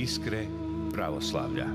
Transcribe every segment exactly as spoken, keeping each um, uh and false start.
Iskre pravoslavlja.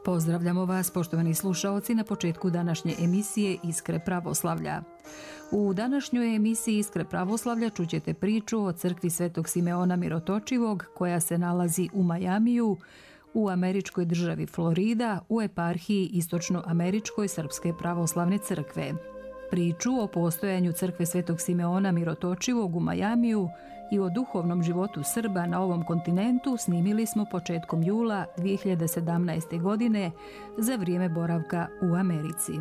Pozdravljamo vas, poštovani slušaoci, na početku današnje emisije Iskre pravoslavlja. U današnjoj emisiji Iskre pravoslavlja čućete priču o crkvi Svetog Simeona Mirotočivog koja se nalazi u Majamiju, u američkoj državi Florida, u eparhiji Istočnoameričkoj Srpske pravoslavne crkve. Priču o postojanju crkve Svetog Simeona Mirotočivog u Majamiju i o duhovnom životu Srba na ovom kontinentu snimili smo početkom jula dvije hiljade sedamnaeste. godine za vrijeme boravka u Americi.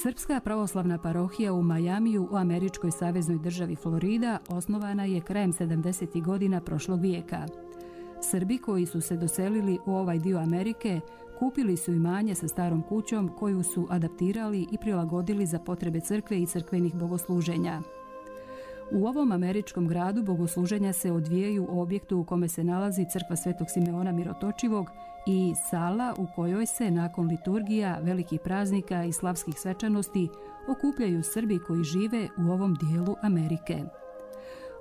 Srpska pravoslavna parohija u Majamiju u američkoj saveznoj državi Florida osnovana je krajem sedamdesetih godina prošlog vijeka. Srbi koji su se doselili u ovaj dio Amerike kupili su imanje sa starom kućom koju su adaptirali i prilagodili za potrebe crkve i crkvenih bogosluženja. U ovom američkom gradu bogosluženja se odvijaju u objektu u kome se nalazi crkva Svetog Simeona Mirotočivog i sala u kojoj se nakon liturgija, velikih praznika i slavskih svečanosti okupljaju Srbi koji žive u ovom dijelu Amerike.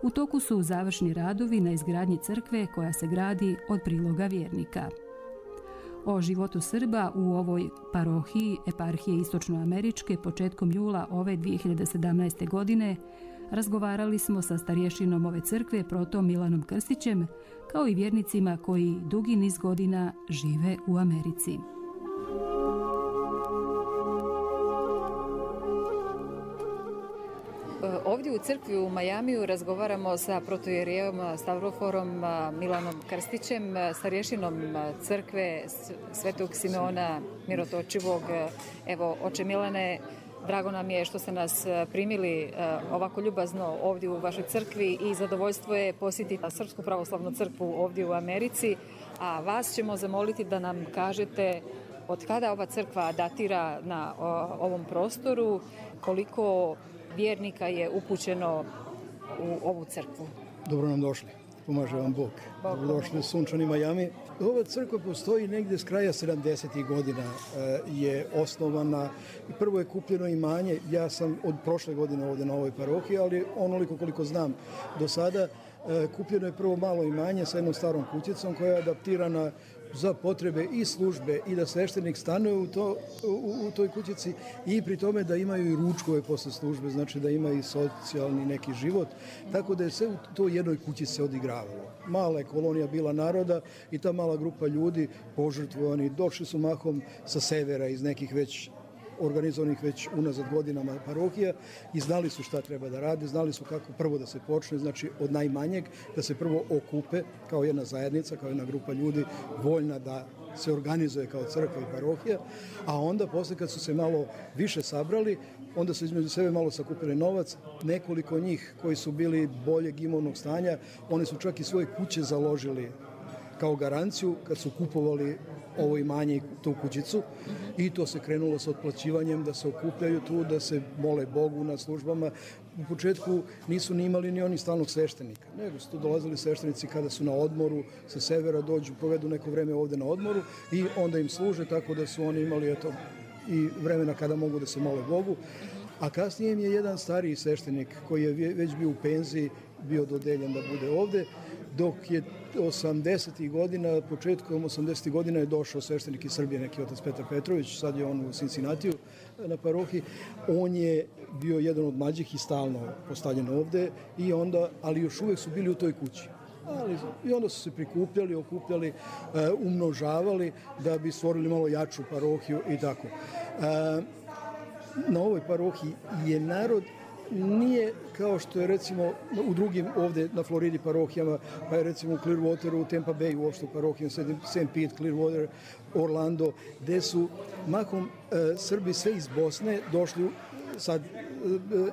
U toku su završni radovi na izgradnji crkve koja se gradi od priloga vjernika. O životu Srba u ovoj parohiji eparhije Istočnoameričke početkom jula ove dvije hiljade sedamnaeste. godine razgovarali smo sa starješinom ove crkve protom Milanom Krstićem, kao i vjernicima koji dugi niz godina žive u Americi. Ovdje u crkvi u Majamiju razgovaramo sa protojerijevom Stavroforom Milanom Krstićem, starješinom crkve Svetog Simeona Mirotočivog. Evo, oče Milane, drago nam je što ste nas primili ovako ljubazno ovdje u vašoj crkvi i zadovoljstvo je posjetiti Srpsku pravoslavnu crkvu ovdje u Americi, a vas ćemo zamoliti da nam kažete od kada ova crkva datira na ovom prostoru, koliko vjernika je upućeno u ovu crkvu. Dobro nam došli. Pomaže vam Bog. Dobrodošli u sunčani Majami. Ova crkva postoji negdje s kraja sedamdesetih godina je osnovana. Prvo je kupljeno imanje. Ja sam od prošle godine ovdje na ovoj parohiji, ali onoliko koliko znam do sada, kupljeno je prvo malo imanje sa jednom starom kućicom koja je adaptirana za potrebe i službe i da sveštenik stanuje u, to, u, u toj kućici i pri tome da imaju i ručkove posle službe, znači da ima i socijalni neki život, tako da je sve u toj jednoj kući se odigravalo. Mala je kolonija bila naroda i ta mala grupa ljudi požrtvovani, došli su mahom sa severa iz nekih već organizovanih već unazad godinama parohija i znali su šta treba da rade, znali su kako prvo da se počne, znači od najmanjeg, da se prvo okupe kao jedna zajednica, kao jedna grupa ljudi voljna da se organizuje kao crkva i parohija, a onda posle kad su se malo više sabrali, onda su između sebe malo sakupili novac, nekoliko njih koji su bili boljeg imovnog stanja, oni su čak i svoje kuće založili kao garanciju kad su kupovali ovo imanje i tu kućicu i to se krenulo sa otplaćivanjem da se okupljaju tu, da se mole Bogu na službama. U početku nisu ni imali ni oni stalnog sveštenika, nego su tu dolazili sveštenici kada su na odmoru, sa severa dođu, provedu neko vreme ovdje na odmoru i onda im služe, tako da su oni imali eto, i vremena kada mogu da se mole Bogu. A kasnije im je jedan stariji sveštenik koji je već bio u penziji, bio dodeljen da bude ovdje, dok je osamdesetih godina, početkom osamdesetih godina je došao sveštenik iz Srbije, neki otac Petar Petrović, sad je on u Cincinnatiju na parohiji. On je bio jedan od mlađih i stalno postavljen ovde, i onda, ali još uvijek su bili u toj kući. ali i onda su se prikupljali, okupljali, umnožavali da bi stvorili malo jaču parohiju i tako. Na ovoj parohiji je narod nije kao što je recimo u drugim ovde na Floridi parohijama, pa je recimo u Clearwateru, u Tampa Bay uopšte parohijama, Saint Pete, Clearwater, Orlando, gde su mahom e, Srbi sve iz Bosne došli sad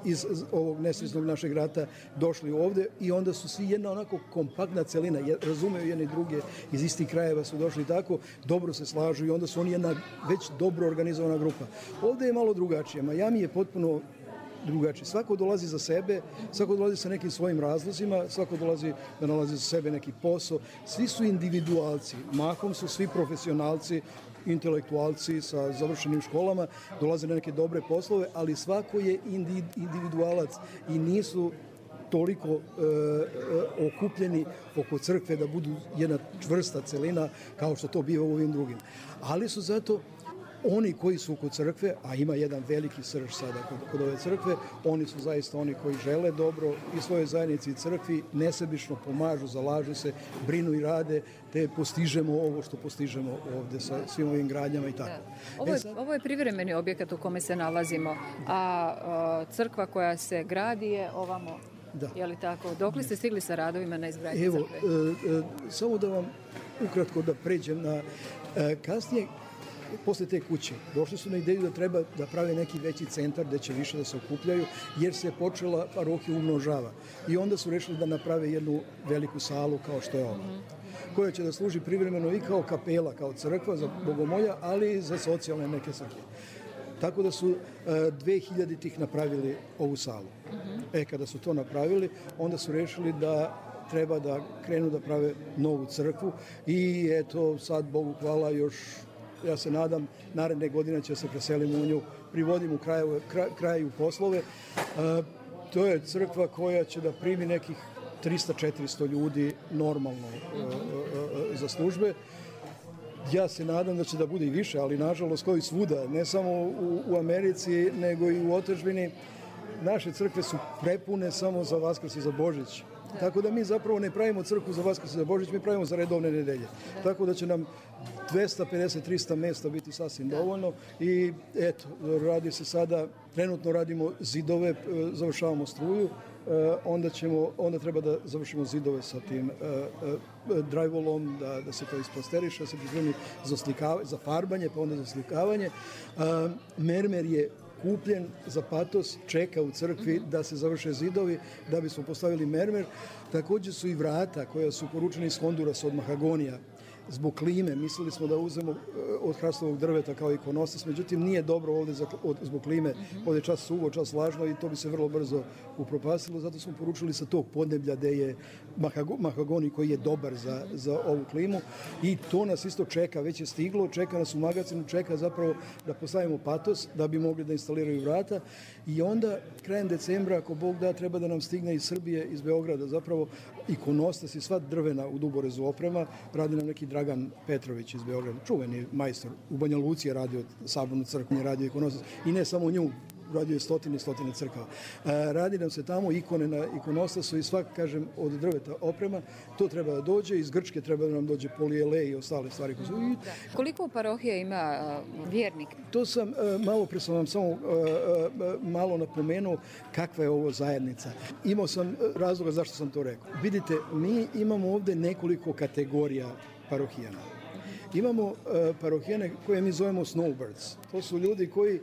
iz ovog nesrećnog našeg rata došli ovde i onda su svi jedna onako kompaktna celina, razumeju jedni druge, iz istih krajeva su došli tako, dobro se slažu i onda su oni jedna već dobro organizovana grupa. Ovde je malo drugačije. Miami je potpuno drugačije. Svako dolazi za sebe, svako dolazi sa nekim svojim razlozima, svako dolazi da nalazi za sebe neki posao. Svi su individualci, mahom su svi profesionalci, intelektualci sa završenim školama, dolaze na neke dobre poslove, ali svako je individualac i nisu toliko e, e, okupljeni oko crkve da budu jedna čvrsta celina kao što to biva u ovim drugim. Ali su zato oni koji su kod crkve, a ima jedan veliki srž sada kod, kod ove crkve, oni su zaista oni koji žele dobro i svojoj zajednici i crkvi, nesebično pomažu, zalažu se, brinu i rade, te postižemo ovo što postižemo ovde sa svim ovim gradnjama i tako. Da. Ovo, je, ovo je privremeni objekat u kome se nalazimo, a, a crkva koja se gradi je ovamo. Da. Je li tako? Dokle ste stigli sa radovima na izgradnji Evo, crkve? E, e, samo da vam ukratko da pređem na e, kasnije. Posle te kuće došli su na ideju da treba da prave neki veći centar gde će više da se okupljaju, jer se počela parohija umnožava. I onda su rešili da naprave jednu veliku salu kao što je ova, koja će da služi privremeno i kao kapela, kao crkva za bogomolja, ali i za socijalne neke svrhe. Tako da su dve hiljaditih napravili ovu salu. E, kada su to napravili, onda su rešili da treba da krenu da prave novu crkvu i eto, sad, Bogu hvala, još ja se nadam, naredne godine će se preselimo u nju, privodim u kraju, kraj, kraju poslove. E, to je crkva koja će da primi nekih trista do četiristo ljudi normalno e, e, za službe. Ja se nadam da će da bude i više, ali nažalost kao i svuda, ne samo u, u Americi, nego i u otadžbini. Naše crkve su prepune samo za Vaskrs i za Božić. Tako da mi zapravo ne pravimo crkvu za Vaskrs i za Božić, mi pravimo za redovne nedelje. Tako da će nam dvesta pedeset do trista mesta biti sasvim dovoljno i eto, radi se sada, trenutno radimo zidove, završavamo struju, onda, ćemo, onda treba da završimo zidove sa tim drywallom, da, da se to isplasteriše, da se pripremi za, za farbanje, pa onda za slikavanje. Mermer je kupljen za patos, čeka u crkvi da se završe zidovi, da bismo postavili mermer. Također su i vrata koja su poručena iz Hondurasa od mahagonija. Zbog klime, mislili smo da uzemo od hrastovog drveta kao ikonostas, međutim nije dobro ovde za, od, zbog klime, ovde je čas suvo, čas vlažno i to bi se vrlo brzo upropastilo, zato smo poručili sa tog podneblja gde je mahagoni koji je dobar za, za ovu klimu i to nas isto čeka, već je stiglo, čeka nas u magazinu, čeka zapravo da postavimo patos da bi mogli da instaliraju vrata i onda krajem decembra, ako Bog da, treba da nam stigne iz Srbije, iz Beograda, zapravo ikonostas i sva drvena u Duborezu oprema, radi nam neki Dragan Petrović iz Beograda, čuveni majstor, u Banja Luci je radio sabornu crkvu, je radio ikonostas i ne samo nju, radio je stotine i stotine crkava. Radi nam se tamo ikone na ikonostasu i svak, kažem, od drveta oprema, to treba da dođe, iz Grčke treba da nam dođe polijele i ostale stvari. Mm, da. Koliko parohija ima uh, vjernik? To sam, uh, malo pre sam vam samo uh, uh, malo napomenuo kakva je ovo zajednica. Imao sam razloga zašto sam to rekao. Vidite, mi imamo ovde nekoliko kategorija parohijana. Imamo uh, parohijane koje mi zovemo snowbirds. To su ljudi koji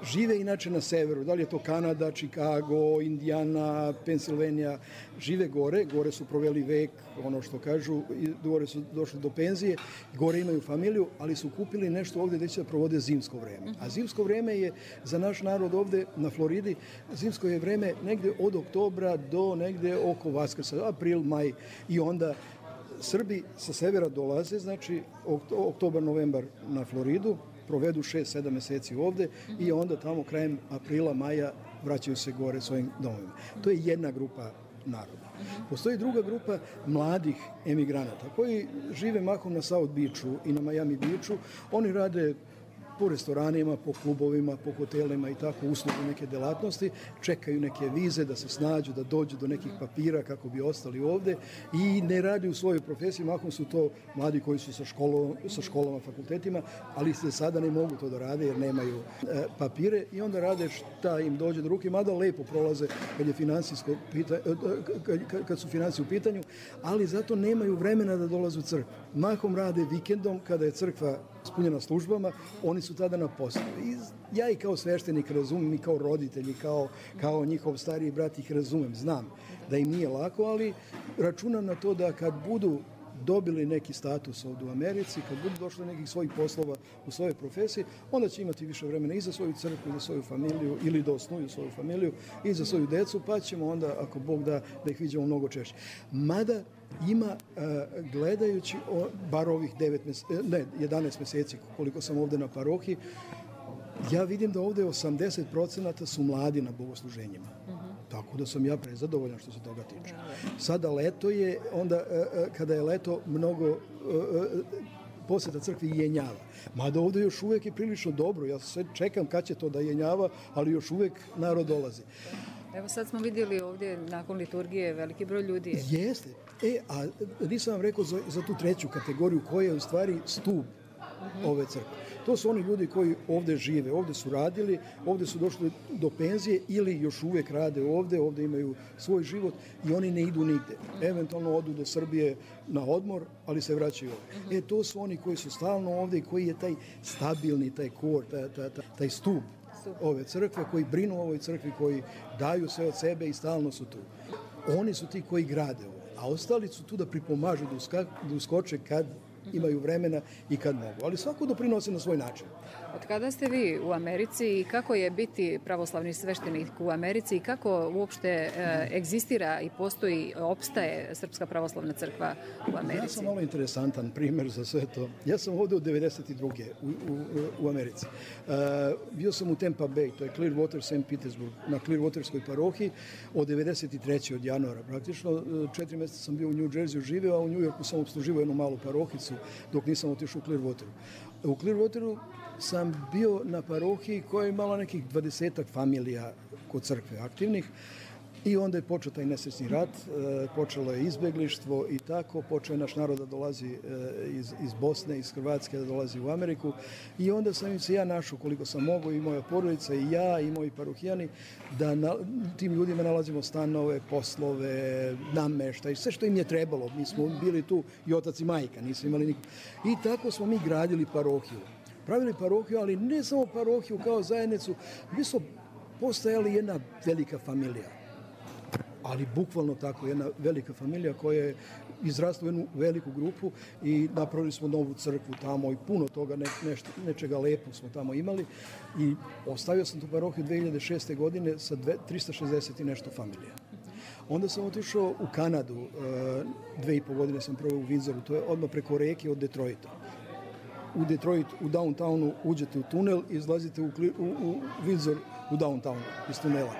žive inače na severu, da li je to Kanada, Chicago, Indiana, Pensilvanija, žive gore, gore su proveli vek, ono što kažu, i gore su došli do penzije, gore imaju familiju, ali su kupili nešto ovde gde će da provode zimsko vreme. A zimsko vreme je za naš narod ovde na Floridi, zimsko je vreme negde od oktobra do negde oko Vaskrsa, april, maj i onda Srbi sa severa dolaze, znači oktobar, novembar na Floridu, provedu šest sedam meseci ovde i onda tamo krajem aprila, maja vraćaju se gore svojim domovima. To je jedna grupa naroda. Postoji druga grupa mladih emigranata koji žive mahom na South Beachu i na Miami Beachu. Oni rade po restoranima, po klubovima, po hotelima i tako uslugu neke delatnosti, čekaju neke vize da se snađu, da dođu do nekih papira kako bi ostali ovde i ne radi u svojoj profesiji, mahom su to mladi koji su sa, školom, sa školama, fakultetima, ali se sada ne mogu to da rade jer nemaju e, papire i onda rade šta im dođe do ruke, mada lepo prolaze kad, je finansijsko pita, kad, kad su financije u pitanju, ali zato nemaju vremena da dolaze u crkvu. Mahom rade vikendom kada je crkva ispunjena službama, oni su tada na poslu. I ja i kao sveštenik razumem i kao roditelji, kao, kao njihov stariji brat ih razumem, znam da im nije lako, ali računam na to da kad budu dobili neki status ovdje u Americi, kad budu došli nekih svojih poslova u svojoj profesiji, onda će imati više vremena i za svoju crkvu, i za svoju familiju, ili da osnuju svoju familiju, i za svoju decu, pa ćemo onda, ako Bog da, da ih vidimo mnogo češće. Mada ima, gledajući bar ovih devet mjeseci, ne, jedanaest mjeseci koliko sam ovdje na parohiji, ja vidim da ovdje osamdeset procenata su mladi na bogosluženjima. Uh-huh. Tako da sam ja prezadovoljan što se toga tiče. Sada leto je, onda kada je leto, mnogo posjeta crkvi jenjava. Mada ovdje još uvijek je prilično dobro. Ja sve čekam kad će to da jenjava, ali još uvijek narod dolazi. Evo sad smo vidjeli ovdje nakon liturgije veliki broj ljudi. Je. Jeste. E, a nisam vam rekao za, za tu treću kategoriju koja je u stvari stup uh-huh. ove crkve. To su oni ljudi koji ovdje žive, ovdje su radili, ovdje su došli do penzije ili još uvijek rade ovdje, ovdje imaju svoj život i oni ne idu nigde. Eventualno odu do Srbije na odmor, ali se vraćaju ovdje. E, to su oni koji su stalno ovdje i koji je taj stabilni, taj kor, taj, taj, taj stup ove crkve, koji brinu o ovoj crkvi, koji daju sve od sebe i stalno su tu. Oni su ti koji grade ovo, a ostali su tu da pripomažu, da, uska, da uskoče kad imaju vremena i kad mogu. Ali svako doprinosi na svoj način. Od kada ste vi u Americi i kako je biti pravoslavni sveštenik u Americi i kako uopšte e, egzistira i postoji, opstaje Srpska pravoslavna crkva u Americi? Ja sam malo interesantan primjer za sve to. Ja sam ovdje od devedeset druge u, u, u Americi. Uh, bio sam u Tampa Bay, to je Clearwater, Saint Petersburg, na Clearwaterskoj parohiji od devedeset treće od januara. Praktično četiri mjeseca sam bio u New Jerseyu živeo, a u New Yorku sam opsluživao jednu malu parohicu dok nisam otišao u Clearwateru. U Clearwateru sam bio na parohiji koja je imala nekih dvadesetak familija kod crkve aktivnih i onda je počeo taj nesrećni rat, počelo je izbeglištvo i tako, počeo je naš narod da dolazi iz, iz Bosne, iz Hrvatske, da dolazi u Ameriku i onda sam im se ja našao koliko sam mogao i moja porodica i ja i moji parohijani da na, tim ljudima nalazimo stanove, poslove, nameštaj, sve što im je trebalo. Mi smo bili tu i otac i majka, nismo imali nikog. I tako smo mi gradili parohiju. Pravili parohiju, ali ne samo parohiju kao zajednicu, mi smo postajali jedna velika familija. Ali bukvalno tako, jedna velika familija koja je izrasla u jednu veliku grupu i napravili smo novu crkvu tamo i puno toga, ne, nešto, nečega lepo smo tamo imali i ostavio sam tu parohiju dve hiljade šeste. godine sa dve, trista šezdeset i nešto familija. Onda sam otišao u Kanadu, dve i po godine sam proveo u Windsoru, to je odmah preko reke od Detroita. U Detroit, u downtownu uđete u tunel i izlazite u, u, u Windsor u downtownu iz tunela.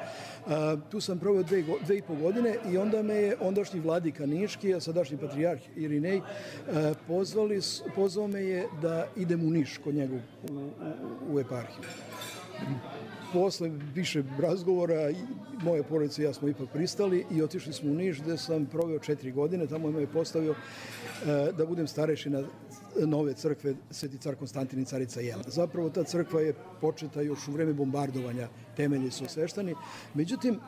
Uh, tu sam proveo dve, dve i po godine i onda me je ondašnji vladika Niški, a sadašnji patrijarh Irinej, uh, pozvali, pozvao me je da idem u Niš kod njega u, u, u eparhiju. Posle više razgovora, moje porodice i ja smo ipak pristali i otišli smo u Niš gdje sam proveo četiri godine. Tamo me je postavio uh, da budem starešina nove crkve Sveti car Konstantin i carica Jelena. Zapravo ta crkva je početa još u vreme bombardovanja, temelji su osveštani. Međutim,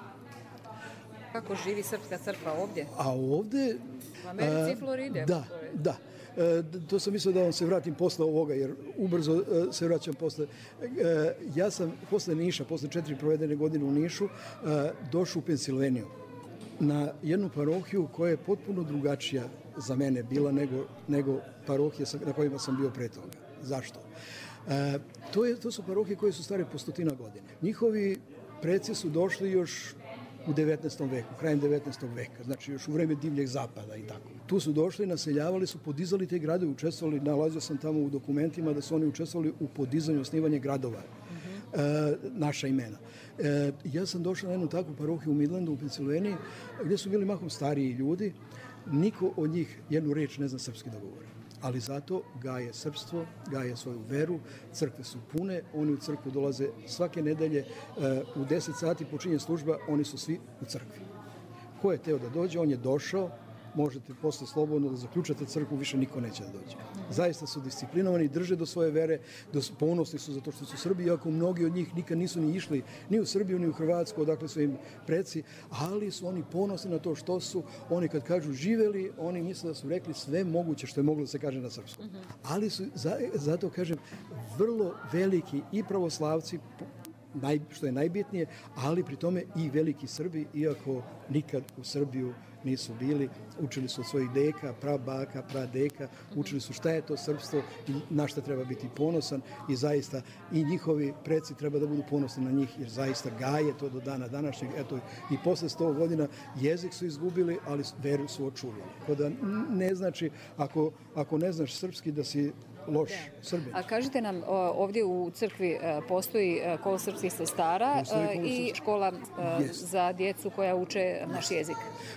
kako živi srpska crkva ovdje? A ovdje... U Americi i Floride. Da, da. E, to sam mislio da vam se vratim posle ovoga, jer ubrzo e, se vraćam posle. E, ja sam posle Niša, posle četiri provedene godine u Nišu, e, došao u Pensilveniju na jednu parohiju koja je potpuno drugačija za mene bila nego, nego parohije na kojima sam bio pre toga. Zašto? E, to, je, to su parohije koje su stare po stotina godina. Njihovi preci su došli još u devetnaestom veku, krajem devetnaestog veka, znači još u vreme divljeg zapada i tako. Tu su došli, naseljavali su, podizali te gradove, učestvovali, nalazio sam tamo u dokumentima da su oni učestvovali u podizanju, osnivanje gradova, uh-huh. e, naša imena. E, ja sam došao na jednu takvu parohiju u Midlandu, u Pensilveniji, gdje su bili mahom stariji ljudi, niko od njih jednu reč ne zna srpski da govori. ali zato gaje srpstvo, gaje svoju veru, crkve su pune, oni u crkvu dolaze svake nedelje, u deset sati počinje služba, oni su svi u crkvi. Ko je teo da dođe, on je došao, možete posle slobodno da zaključate crkvu, više niko neće da dođe. Zaista su disciplinovani, drže do svoje vere, ponosni su zato što su Srbi, iako mnogi od njih nikad nisu ni išli ni u Srbiju, ni u Hrvatsku, odakle su im preci, ali su oni ponosni na to što su. Oni kad kažu živeli, oni misle da su rekli sve moguće što je moglo da se kaže na srpskom. Ali su, zato kažem, vrlo veliki i pravoslavci, Naj, što je najbitnije, ali pri tome i veliki Srbi, iako nikad u Srbiju nisu bili, učili su od svojih deka, prabaka, pradeka, učili su šta je to srpstvo i na šta treba biti ponosan i zaista i njihovi preci treba da budu ponosni na njih jer zaista gaje to do dana današnjeg. Eto, i posle sto godina jezik su izgubili, ali veru su očuvali. Tako da ne znači, ako, ako ne znaš srpski da si loš Srbin. A kažite nam, ovdje u crkvi postoji kolo srpskih sestara i škola za djecu koja uče naš jezik.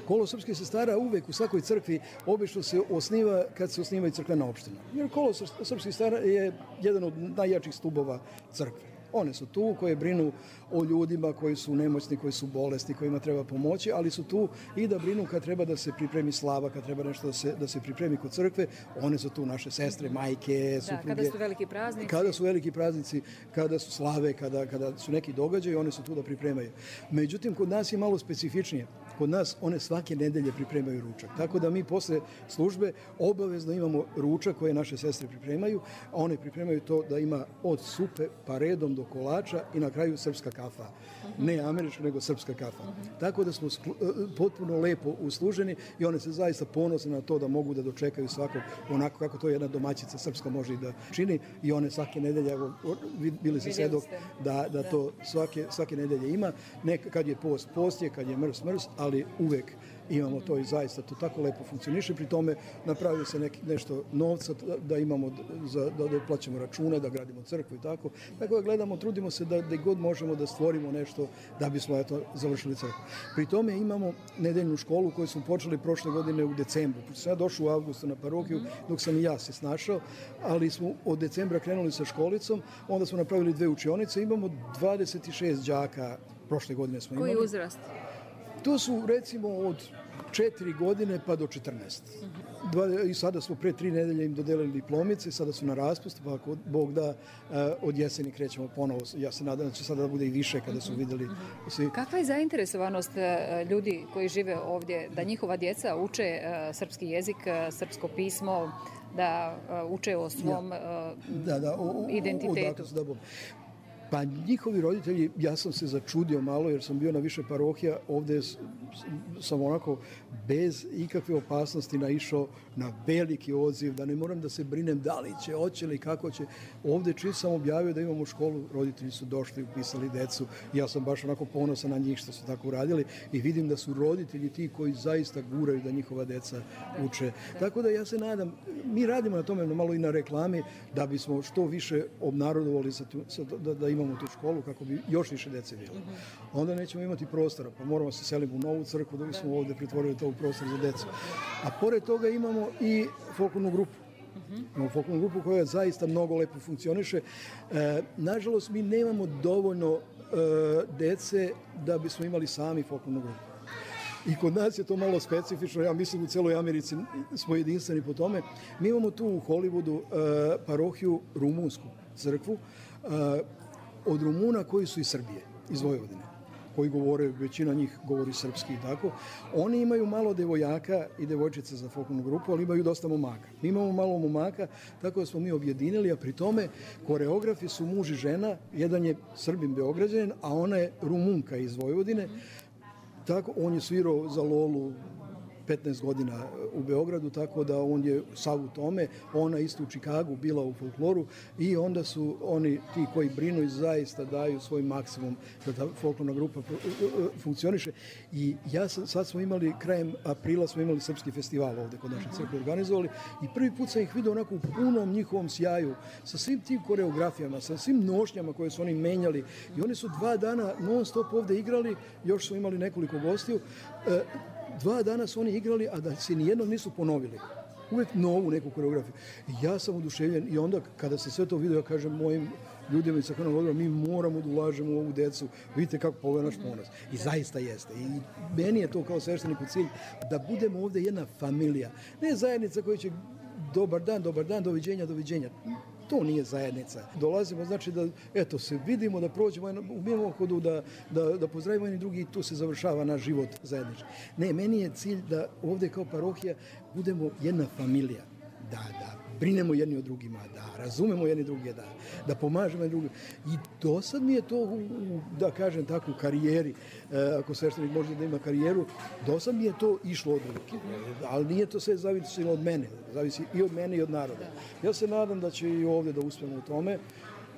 Kolo srpskih sestara uvek u svakoj crkvi obično se osniva kad se osniva i crkvena opština. Jer kolo srpskih sestara je jedan od najjačih stubova crkve. One su tu koje brinu o ljudima koji su nemoćni, koji su bolesni, kojima treba pomoći, ali su tu i da brinu kad treba da se pripremi slava, kad treba nešto da se, da se pripremi kod crkve. One su tu naše sestre, majke, supruge. Da, kada su veliki praznici. Kada su veliki praznici, kada su slave, kada, kada su neki događaji, one su tu da pripremaju. Međutim, kod nas je malo specifičnije. Kod nas one svake nedelje pripremaju ručak. Tako da mi posle službe obavezno imamo ručak koje naše sestre pripremaju, a one pripremaju to da ima od supe pa redom do kolača i na kraju srpska kafa. Ne američka, nego srpska kafa. Tako da smo potpuno lepo usluženi i one se zaista ponose na to da mogu da dočekaju svakog onako kako to jedna domaćica srpska može i da čini i one svake nedelje, bili se svedok da, da to svake, svake nedelje ima. Nek, kad je post, post je, kad je mrs, mrs, ali uvek imamo to i zaista to tako lepo funkcioniše. Pri tome napravio se neki, nešto novca da imamo, za, da, da plaćamo račune, da gradimo crkvu i tako. Tako da gledamo, trudimo se da, da god možemo da stvorimo nešto da bismo eto, završili crkvu. Pri tome imamo nedeljnu školu koju smo počeli prošle godine u decembru. Pošto sam ja došao u avgustu na parohiju, dok sam i ja se snašao, ali smo od decembra krenuli sa školicom, onda smo napravili dve učionice, imamo dvadeset šest đaka, prošle godine smo imali. Koji uzrast? To su recimo od četiri godine pa do četrnaest. Dva, i sada smo pre tri nedelje im dodelili diplomice, sada su na raspustu, pa ako Bog da, od jeseni krećemo ponovo. Ja se nadam da će sada da bude i više kada su videli svi. Kakva je zainteresovanost ljudi koji žive ovdje da njihova djeca uče srpski jezik, srpsko pismo, da uče o svom ja. da, da, o, identitetu? O, o, Pa njihovi roditelji, ja sam se začudio malo jer sam bio na više parohija, ovdje sam onako bez ikakve opasnosti naišao na veliki odziv, da ne moram da se brinem da li će, hoće li, kako će. Ovdje čim sam objavio da imamo školu, roditelji su došli, upisali decu, ja sam baš onako ponosan na njih što su tako uradili i vidim da su roditelji ti koji zaista guraju da njihova deca uče. Tako da ja se nadam, mi radimo na tome malo i na reklami da bismo što više obnarodovali sa tu, sa, da, da imamo tu školu kako bi još više dece bilo. Onda nećemo imati prostora, pa moramo se seliti u novu crkvu da bismo ovdje pretvorili to u prostor za decu. A pored toga imamo i folklornu grupu. Imamo folklornu grupu koja zaista mnogo lepo funkcioniše. E, nažalost, mi nemamo dovoljno e, dece da bismo imali sami folklornu grupu. I kod nas je to malo specifično, ja mislim u celoj Americi smo jedinstveni po tome. Mi imamo tu u Hollywoodu e, parohiju rumunsku crkvu, e, od Rumuna koji su iz Srbije, iz Vojvodine, koji govore, većina njih govori srpski i tako. Oni imaju malo devojaka i devojčica za folklornu grupu, ali imaju dosta momaka. Mi imamo malo momaka, tako da smo mi objedinili, a pri tome koreografi su muž i žena, jedan je Srbin Beograđanin, a ona je Rumunka iz Vojvodine. Tako, on je svirao za Lolu petnaest godina u Beogradu, tako da on je sav u tome, ona isto u Čikagu bila u folkloru i onda su oni ti koji brinu i zaista daju svoj maksimum da ta folklorna grupa funkcioniše. I ja sam, sad smo imali, krajem aprila smo imali srpski festival ovde kod naše crkve organizovali i prvi put sam ih vidio onako u punom njihovom sjaju, sa svim tim koreografijama, sa svim nošnjama koje su oni menjali i oni su dva dana non stop ovde igrali, još su imali nekoliko gostiju. Dva dana su oni igrali, a da se nijednom nisu ponovili. uvek novu neku koreografiju. Ja sam oduševljen i onda kada se sve to vidio, ja kažem mojim ljudima iz crkvenog odbora, mi moramo da ulažemo u ovu decu, vidite kako poveo naš ponos. I zaista jeste. I meni je to kao svešteniku cilj da budemo ovde jedna familija. Ne zajednica koja će dobar dan, dobar dan, doviđenja, doviđenja. To nije zajednica. Dolazimo, znači da, eto, se vidimo, da prođemo u mimohodu, da, da, da pozdravimo jedni drugi i tu se završava naš život zajednički. Ne, meni je cilj da ovde kao parohija budemo jedna familija. Da, da brinemo jedni o drugima, da razumemo jedni druge, da, da pomažemo jedni drugim. I do sad mi je to, u, da kažem tako, u karijeri, e, ako sveštenik može da ima karijeru, do sad mi je to išlo od ruke. Ali nije to sve zavisilo od mene, zavisi i od mene i od naroda. Ja se nadam da će i ovde da uspemo u tome.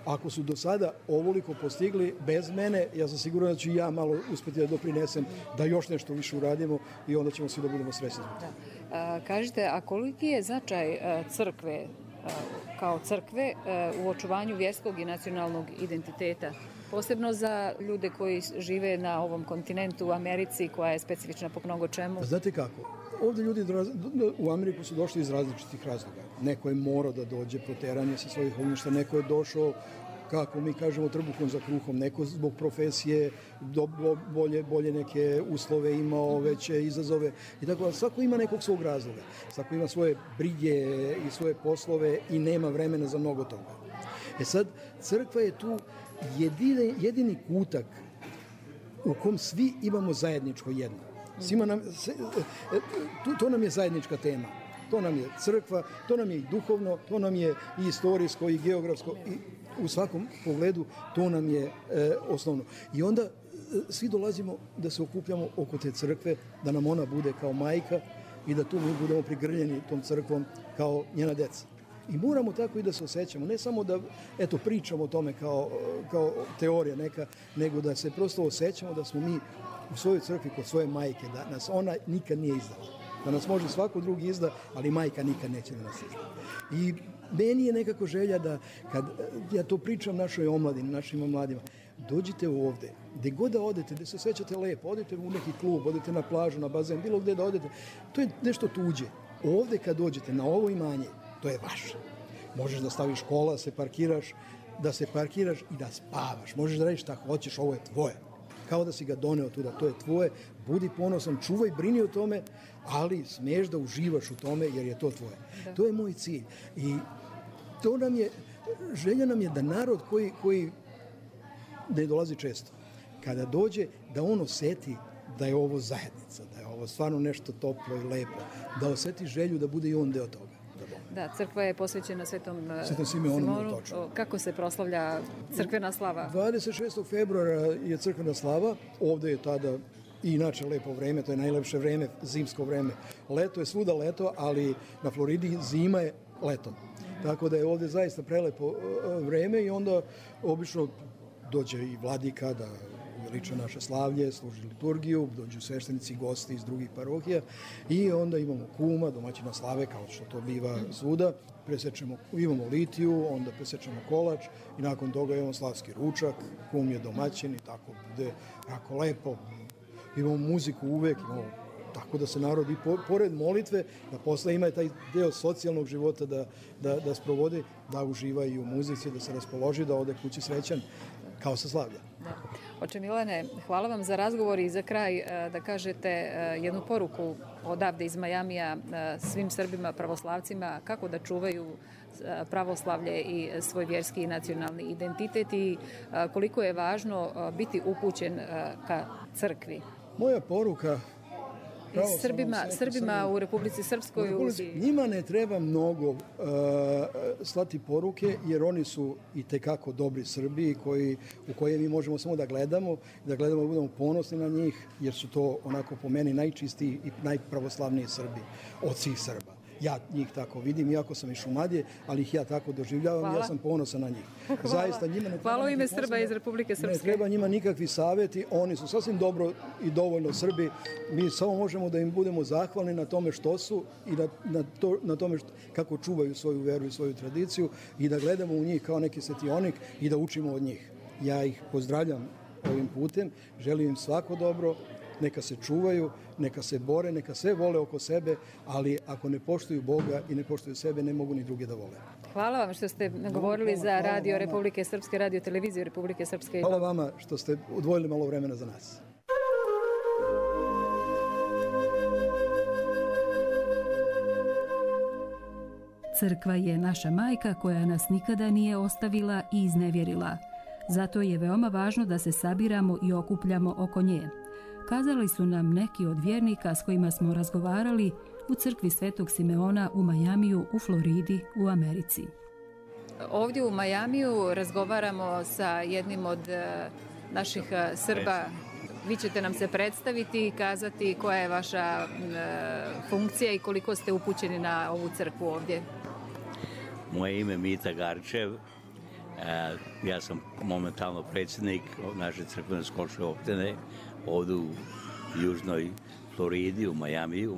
Ako su do sada ovoliko postigli bez mene, ja sam siguran da ću i ja malo uspeti da doprinesem, da još nešto više uradimo i onda ćemo svi da budemo srećni. Da. A, kažite, a koliki je značaj a, crkve a, kao crkve a, u očuvanju vjerskog i nacionalnog identiteta? Posebno za ljude koji žive na ovom kontinentu u Americi, koja je specifična po mnogo čemu. Pa znate kako? Ovde ljudi u Ameriku su došli iz različitih razloga. Neko je morao da dođe proteranje sa svojih ognjišta, neko je došao, kako mi kažemo, trbuhom za kruhom, neko zbog profesije, do, bolje, bolje neke uslove imao, veće izazove. I tako, svako ima nekog svog razloga. Svako ima svoje brige i svoje poslove i nema vremena za mnogo toga. E sad, crkva je tu jedini, jedini kutak u kom svi imamo zajedničko jedno. Svima nam, to, to nam je zajednička tema. To nam je crkva, to nam je i duhovno, to nam je i istorijsko i geografsko i u svakom pogledu to nam je e, osnovno. I onda e, svi dolazimo da se okupljamo oko te crkve, da nam ona bude kao majka i da tu mi budemo prigrljeni tom crkvom kao njena deca. I moramo tako i da se osjećamo, ne samo da eto, pričamo o tome kao, kao teorija neka, nego da se prosto osjećamo da smo mi u svojoj crkvi kod svoje majke, da nas ona nikad nije izdala. Da nas može svako drugi izda, ali majka nikad neće da nas izda. I meni je nekako želja da, kad ja to pričam našoj omladini, našim mladima, dođite ovde, gde god da odete, gde se osjećate lepo, odete u neki klub, odete na plažu, na bazen, bilo gde da odete, to je nešto tuđe. Ovde kad dođete na ovo imanje, to je vaše. Možeš da staviš kola, se parkiraš, da se parkiraš i da spavaš. Možeš da radiš šta hoćeš, ovo je tvoje. Kao da si ga doneo tuda, to je tvoje, budi ponosan, čuvaj, brini o tome, ali smiješ da uživaš u tome jer je to tvoje. Da. To je moj cilj. I to nam je, želja nam je da narod koji, koji ne dolazi često, kada dođe, da on oseti da je ovo zajednica, da je ovo stvarno nešto toplo i lepo, da oseti želju da bude i on deo toga. Da, crkva je posvećena Svetom Svetom Simeonu. Točno. Kako se proslavlja crkvena slava? dvadeset šestog februara je crkvena slava. Ovde je tada i inače lepo vreme, to je najlepše vreme, zimsko vreme. Leto je svuda leto, ali na Floridi zima je letom. Tako da je ovde zaista prelepo vreme i onda obično dođe i vladika da uveliča naše slavlje, služi liturgiju, dođu sveštenici i gosti iz drugih parohija i onda imamo kuma, domaćina slave, kao što to biva svuda. Presečemo, imamo litiju, onda presečemo kolač i nakon toga imamo slavski ručak, kum je domaćin i tako bude jako lepo. Imamo muziku uvek, imamo tako da se narod i pored molitve, da posle ima taj deo socijalnog života da, da, da sprovodi, da uživa i u muzici, da se raspoloži, da ode kući srećan, kao sa slavlja. Da. Oče Milane, hvala vam za razgovor i za kraj da kažete jednu poruku odavde iz Majamija svim Srbima, pravoslavcima, kako da čuvaju pravoslavlje i svoj vjerski i nacionalni identitet i koliko je važno biti upućen ka crkvi. Moja poruka Srbima, Srbima u Republici Srpskoj. U Republici, njima ne treba mnogo uh, slati poruke, jer oni su i tekako dobri Srbi koji, u koje mi možemo samo da gledamo, da gledamo da budemo ponosni na njih, jer su to onako po meni najčistiji i najpravoslavniji Srbi od svih Srba. Ja njih tako vidim, iako sam iz Šumadije, ali ih ja tako doživljavam. Hvala. Ja sam ponosan na njih. Hvala. Zaista, njima ne Hvala u ime Srba iz Republike Srpske. Ne treba njima nikakvi savjeti, oni su sasvim dobro i dovoljno Srbi. Mi samo možemo da im budemo zahvalni na tome što su i na, na, to, na tome što, kako čuvaju svoju veru i svoju tradiciju i da gledamo u njih kao neki svetionik i da učimo od njih. Ja ih pozdravljam ovim putem, želim im svako dobro neka se čuvaju, neka se bore, neka sve vole oko sebe, ali ako ne poštuju Boga i ne poštuju sebe, ne mogu ni druge da vole. Hvala vam što ste govorili za Radio Republike Srpske, Radio Televiziju Republike Srpske. Hvala vama što ste odvojili malo vremena za nas. Crkva je naša majka koja nas nikada nije ostavila i iznevjerila. Zato je veoma važno da se sabiramo i okupljamo oko nje. Kazali su nam neki od vjernika s kojima smo razgovarali u crkvi Svetog Simeona u Majamiju u Floridi u Americi. Ovdje u Majamiju razgovaramo sa jednim od naših Srba. Vi ćete nam se predstaviti i kazati koja je vaša funkcija i koliko ste upućeni na ovu crkvu ovdje. Moje ime je Mita Garčev. Ja sam momentalno predsjednik naše crkvene školske opštine ovdje u južnoj Floridi, u Majamiju,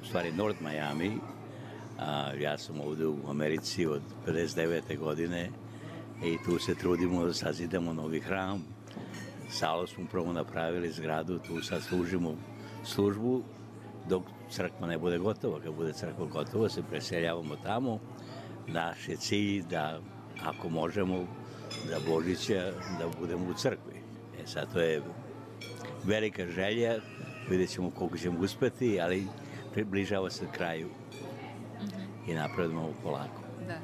u stvari North Miami. Ja sam ovdje u Americi od pedeset devete godine i tu se trudimo da sazidamo novi hram. Salu smo prvo napravili zgradu, tu sad služimo službu dok crkva ne bude gotova. Kad bude crkva gotova se preseljavamo tamo. Naš je cilj da, ako možemo, da Božića da budemo u crkvi. E sad to je velika želja, vidjet ćemo koliko ćemo uspeti, ali približava se kraju i napredujemo polako. Da.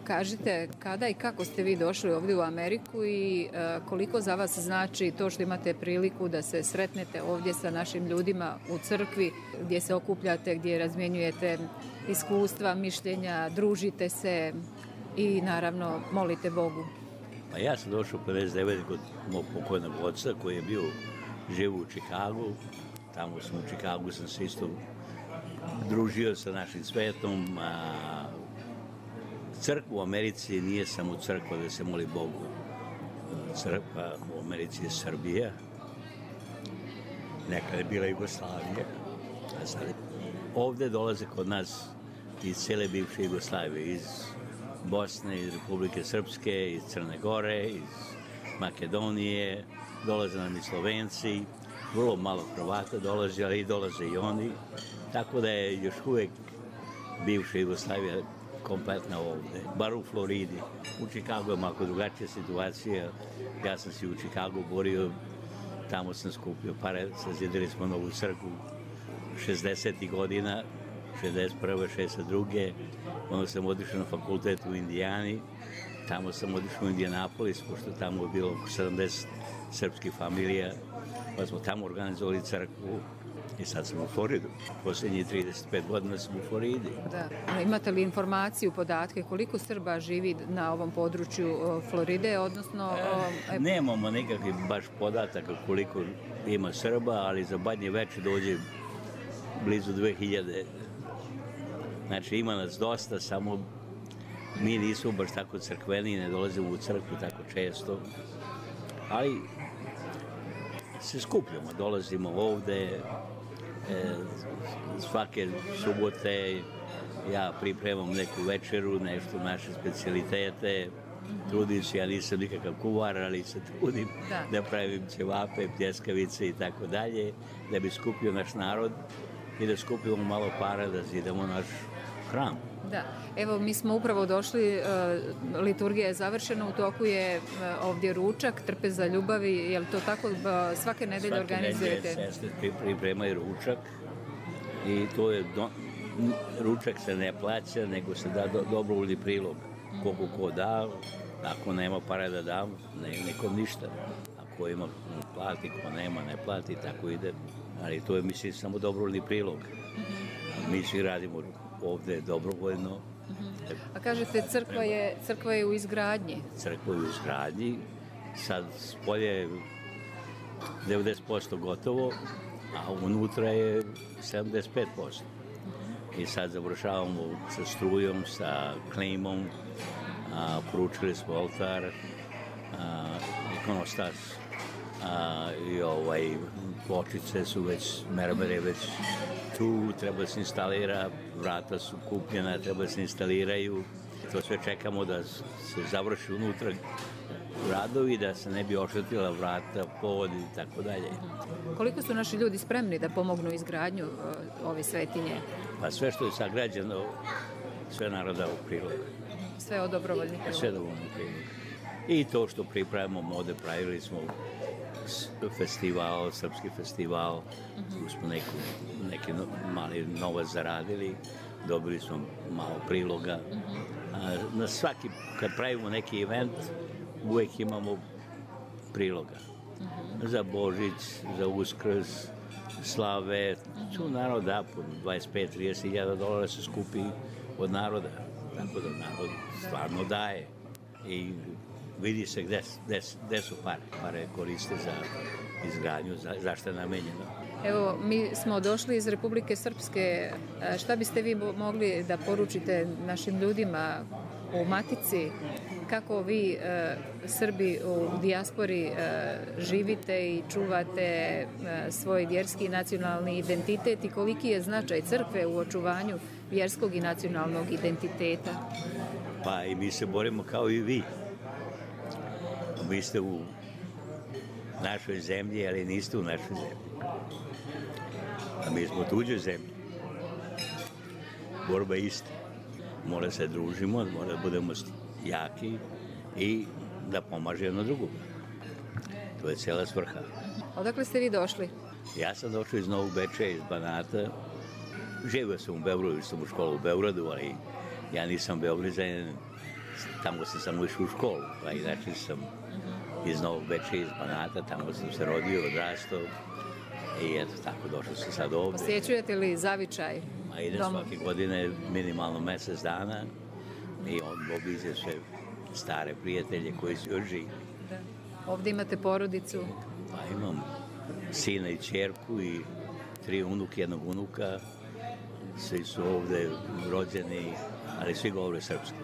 Kažite, kada i kako ste vi došli ovdje u Ameriku i koliko za vas znači to što imate priliku da se sretnete ovdje sa našim ljudima u crkvi, gdje se okupljate, gdje razmjenjujete iskustva, mišljenja, družite se i naravno molite Bogu? Pa ja sam došao pedeset devete kod mog pokojnog oca koji je bio živ u Čikagu. Tamo sam u Čikagu sam se isto družio sa našim svetom. A crkva u Americi nije samo crkva da se moli Bogu. Crkva u Americi je Srbija. Nekada je bila Jugoslavija. A sad ovdje dolaze kod nas iz cijele bivše Jugoslavije, iz Bosne, iz Republike Srpske, iz Crne Gore, iz Makedonije, dolaze nam i Slovenci, vrlo malo Hrvata dolaze, ali i dolaze i oni. Tako da je još uvijek bivša Jugoslavija kompletna ovdje, bar u Floridi. U Čikagu je malo drugačija situacija. Ja sam se u Čikagu borio, tamo sam skupio pare, sazidili smo novu crkvu šezdesetih godina, šezdeset prve, šezdeset druge Onda sam otišao na fakultet u Indijani, tamo sam otišao u Indijanapolis, pošto tamo je bilo sedamdeset srpskih familija, pa smo tamo organizovali crkvu. I sad sam u Floridu. Posljednjih trideset pet godina sam u Floridi. Da. Imate li informaciju, podatke, koliko Srba živi na ovom području Floride, odnosno... E, nemamo nekakvih baš podataka koliko ima Srba, ali za Badnje veče dođe blizu dve hiljade. Znači ima nas dosta, samo mi nismo baš tako crkveni, ne dolazimo u crkvu tako često. Ali se skupljamo, dolazimo ovde, e, svake subote ja pripremam neku večeru, nešto naše specijalitete, trudim se, ja nisam nikakav kuvar, ali se trudim da, da pravim ćevape, pljeskavice i tako dalje, da bi skupio naš narod i da skupimo malo para da zidamo naš hram. Da, evo mi smo upravo došli, uh, liturgija je završena, u toku je uh, ovdje ručak, trpeza ljubavi, je li to tako uh, svake nedelje svake organizujete? Svake nedelje sestre pripremaju ručak i to je, do, ručak se ne plaća, nego se da do, dobrovoljni prilog. Koliko ko da, ako nema para da dam, ne, nikom ništa. Ako ima, plati, ko nema, ne plati, tako ide. Ali to je, mislim, samo dobrovoljni prilog. Mi svi radimo ovdje dobrovoljno. Uh-huh. A kažete, crkva je, crkva je u izgradnji? Crkva je u izgradnji. Sad spolje je devedeset posto gotovo, a unutra je sedamdeset pet posto. Uh-huh. I sad završavamo sa strujom, sa klimom, a, poručili smo oltar, a, ikonostas, a, i ovaj, pločice su već, mermere već tu, treba se instalira, vrata su kupljena, treba se instaliraju. To sve čekamo da se završi unutra radovi, da se ne bi oštetila vrata, pod i tako dalje. Koliko su naši ljudi spremni da pomognu izgradnju ove svetinje? Pa sve što je sagrađeno, sve naroda u prilog. Sve od dobrovoljnih priloga? Sve dobrovoljnih priloga. I to što pripravimo mode, pravili smo festival, srpski festival, uh-huh. Tu smo neku, neki no, mali novac zaradili, dobili smo malo priloga. Uh-huh. A, na svaki, kad pravimo neki event, uvek imamo priloga. Uh-huh. Za Božić, za Uskrs, slave, tu uh-huh. narod da po dvadeset pet do trideset hiljada dolara se skupi od naroda. Tako da narod stvarno daje. I vidi se gde, gde, gde su pare. Pare koriste za izgradnju, za, za što je namenjeno. Evo, mi smo došli iz Republike Srpske. Šta biste vi mogli da poručite našim ljudima u Matici? Kako vi, e, Srbi u dijaspori, e, živite i čuvate e, svoj vjerski i nacionalni identitet i koliki je značaj crkve u očuvanju vjerskog i nacionalnog identiteta? Pa i mi se borimo kao i vi. Vi ste u našoj zemlji, ali niste u našoj zemlji. A mi smo u tuđoj zemlji. Borba je ista. Mora se družimo, mora da budemo jaki i da pomaže jedno drugo. To je cijela svrha. Odakle ste vi došli? Ja sam došao iz Novog Beča, iz Banata. Živio sam u Beogradu, sam u školu u Beogradu, ali ja nisam Beograđanin. Tamo sam samo išao u školu, a inače sam iz Novog Beča, iz Banata, tamo sam se rodio, odrastao i eto tako došao sam sad ovde. Posjećujete li zavičaj? A idem svake godine minimalno mesec dana i on obiđe sve stare prijatelje koji su još živi. Da. Ovde imate porodicu? Pa imam sina i ćerku i tri unuke, jednog unuka. Svi su ovde rođeni, ali svi govore srpski.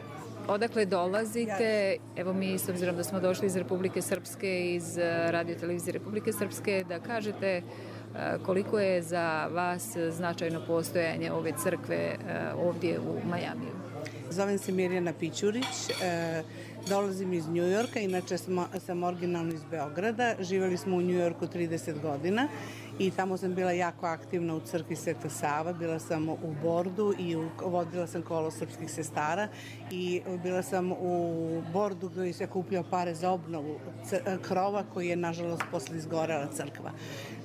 Odakle dolazite? Evo mi, s obzirom da smo došli iz Republike Srpske, iz Radio televizije Republike Srpske, da kažete koliko je za vas značajno postojanje ove crkve ovdje u Majamiju? Zovem se Mirjana Pićurić, dolazim iz Njujorka, inače sam originalno iz Beograda. Živjeli smo u Njujorku trideset godina i tamo sam bila jako aktivna u crkvi Sveta Sava. Bila sam u bordu i u, vodila sam kolo srpskih sestara i bila sam u bordu gdje se kupljao pare za obnovu krova koji je nažalost posle izgorela crkva.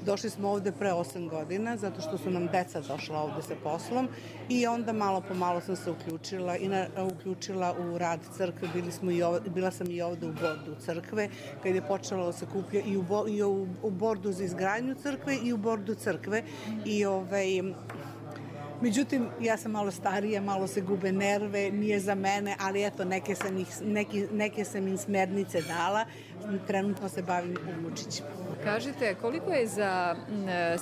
Došli smo ovde pre osam godina zato što su nam deca došla ovde sa poslom i onda malo po malo sam se uključila i na, uključila u rad crkve. Bili smo i ovde, bila sam i ovde u bordu crkve kad je počelo da se kuplja i u, i u, u bordu za izgradnju crkve i u bordu crkve i ovaj međutim, ja sam malo starija, malo se gube nerve, nije za mene, ali eto, neke sam, ih, neki, neke sam im smernice dala. Trenutno se bavim unučićima. Kažite, koliko je za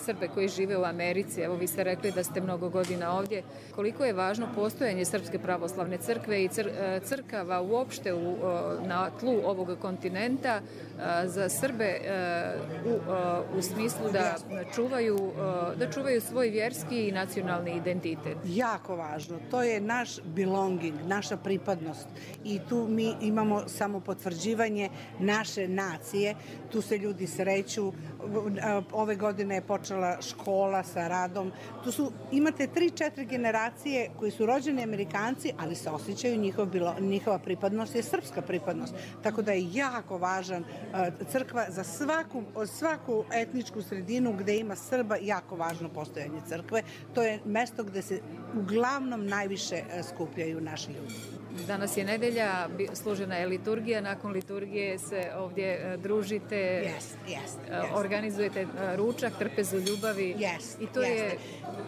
Srbe koji žive u Americi, evo vi ste rekli da ste mnogo godina ovdje, koliko je važno postojanje Srpske pravoslavne crkve i cr, crkava uopšte u, na tlu ovog kontinenta za Srbe u, u smislu da čuvaju, da čuvaju svoj vjerski i nacionalni identitet? Jako važno. To je naš belonging, naša pripadnost i tu mi imamo samo potvrđivanje naše nacije. Tu se ljudi sreću. Ove godine je počela škola sa radom. Tu su, imate tri, četiri generacije koji su rođeni Amerikanci, ali se osjećaju njihov, njihova pripadnost je srpska pripadnost. Tako da je jako važan crkva za svaku, svaku etničku sredinu gde ima Srba, jako važno postojanje crkve. To je mesto gde se uglavnom najviše skupljaju naši ljudi. Danas je nedelja, služena je liturgija, nakon liturgije se ovdje družite, yes, yes, yes. organizujete ručak, trpezu ljubavi. Yes, i to yes. je...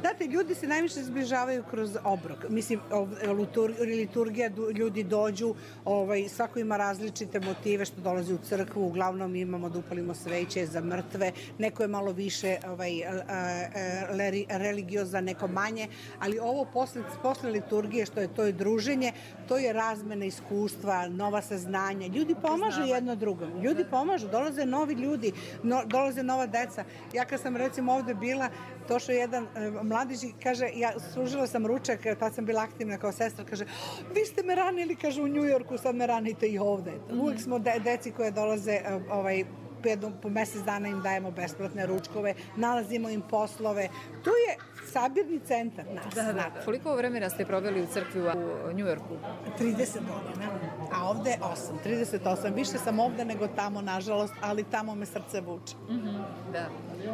Znate, ljudi se najviše zbližavaju kroz obrok. Mislim, liturgija, ljudi dođu, ovaj, svako ima različite motive što dolazi u crkvu, uglavnom imamo da upalimo sveće za mrtve, neko je malo više ovaj, religiozan, neko manje, ali ovo posle, posle liturgije, što je to je druženje, to je razmena iskustva, nova saznanja. Ljudi pomažu jedno drugom. Ljudi pomažu, dolaze novi ljudi, no, dolaze nova deca. Ja kad sam recimo ovde bila, došao jedan e, mladić i kaže, ja služila sam ručak, tad sam bila aktivna kao sestra, kaže, vi ste me ranili, kaže, u Njujorku, sad me ranite i ovde. Uvijek smo de, deci koje dolaze e, ovaj, po mesec dana im dajemo besplatne ručkove, nalazimo im poslove. To je sabirni centar nas. Da, da. Koliko vremena ste proveli u crkvi u Njujorku? trideset godina, a ovde osam, trideset osam. Više sam ovde nego tamo, nažalost, ali tamo me srce vuče. Mm-hmm, da.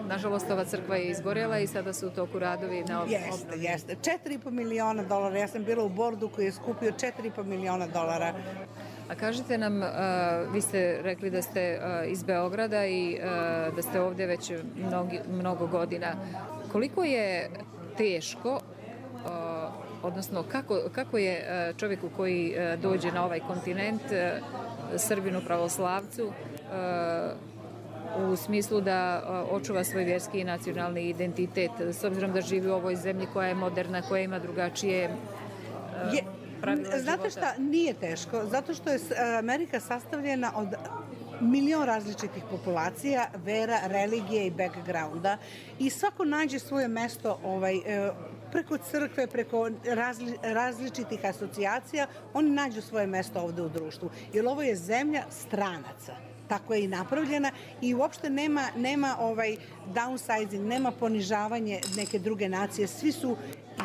Nažalost, ova crkva je izgorela i sada su u toku radovi na obnovi. Jeste, jeste. četiri i po miliona dolara. Ja sam bila u bordu koji je skupio četiri i po miliona dolara. A kažite nam, uh, vi ste rekli da ste uh, iz Beograda i uh, da ste ovde već mnogi, mnogo godina. Koliko je teško, uh, odnosno kako, kako je uh, čovjeku koji uh, dođe na ovaj kontinent, uh, Srbinu pravoslavcu, uh, u smislu da uh, očuva svoj vjerski i nacionalni identitet, s obzirom da živi u ovoj zemlji koja je moderna, koja ima drugačije uh, je... Znate šta, nije teško, zato što je Amerika sastavljena od milion različitih populacija, vera, religije i backgrounda i svako nađe svoje mesto ovaj, preko crkve, preko razli, različitih asocijacija, oni nađu svoje mesto ovde u društvu, jer ovo je zemlja stranaca. Tako je i napravljena i uopšte nema, nema ovaj downsizing, nema ponižavanje neke druge nacije, svi su